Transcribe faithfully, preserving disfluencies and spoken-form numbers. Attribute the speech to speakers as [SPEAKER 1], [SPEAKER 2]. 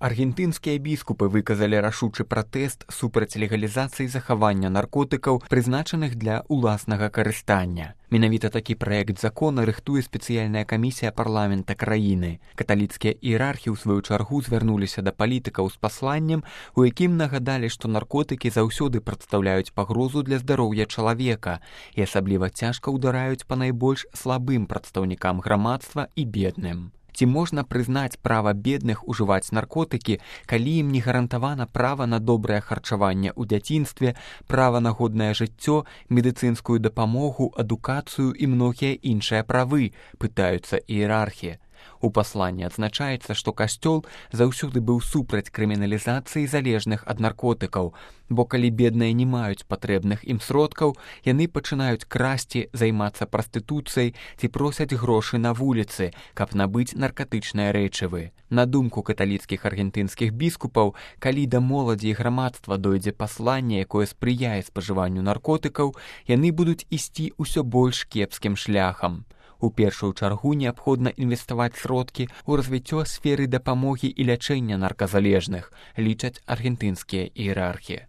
[SPEAKER 1] Аргентынскія біскупы выказалі рашучы пратэст супраць легалізацыі захавання наркотыкаў, прызначаных для ўласнага карыстання. Менавіта такі праект закона рыхтуе спецыяльная камісія парламента краіны. Каталіцкія іерархі ў сваю чаргу звярнуліся да палітыкаў з пасланнем, у якім нагадалі, што наркотыкі заўсёды прадстаўляюць пагрозу для здароўя чалавека і асабліва цяжка ўдараюць па найбольш слабым прадстаўнікам грамадства і бедным. Ці можна прызнаць права бедных ужываць наркотыкі, калі ім не гарантавана права на добрае харчаванне ў дзяцінстве, права на годнае жыццё, медыцынскую дапамогу, адукацыю і многія іншыя правы, пытаюцца іерархі. У пасланні адзначаецца, што касцёл заўсёды быў супраць крыміналізацыі залежных ад наркотыкаў, бо калі бедныя не маюць патрэбных ім сродкаў, яны пачынаюць красці, займацца прастытуцыяй ці просяць грошы на вуліцы, каб набыць наркатычныя рэчывы. На думку каталіцкіх аргентынскіх біскупаў, калі да моладзі і грамадства дойдзе пасланне, якое спрыяе спажыванню наркотыкаў, яны будуць ісці ўсё больш кепскім шляхам. У першую чаргу неабходна інвеставаць сродкі ў развіццё сферы дапамогі і лячэння нарказалежных, лічаць аргентынскія іерархі.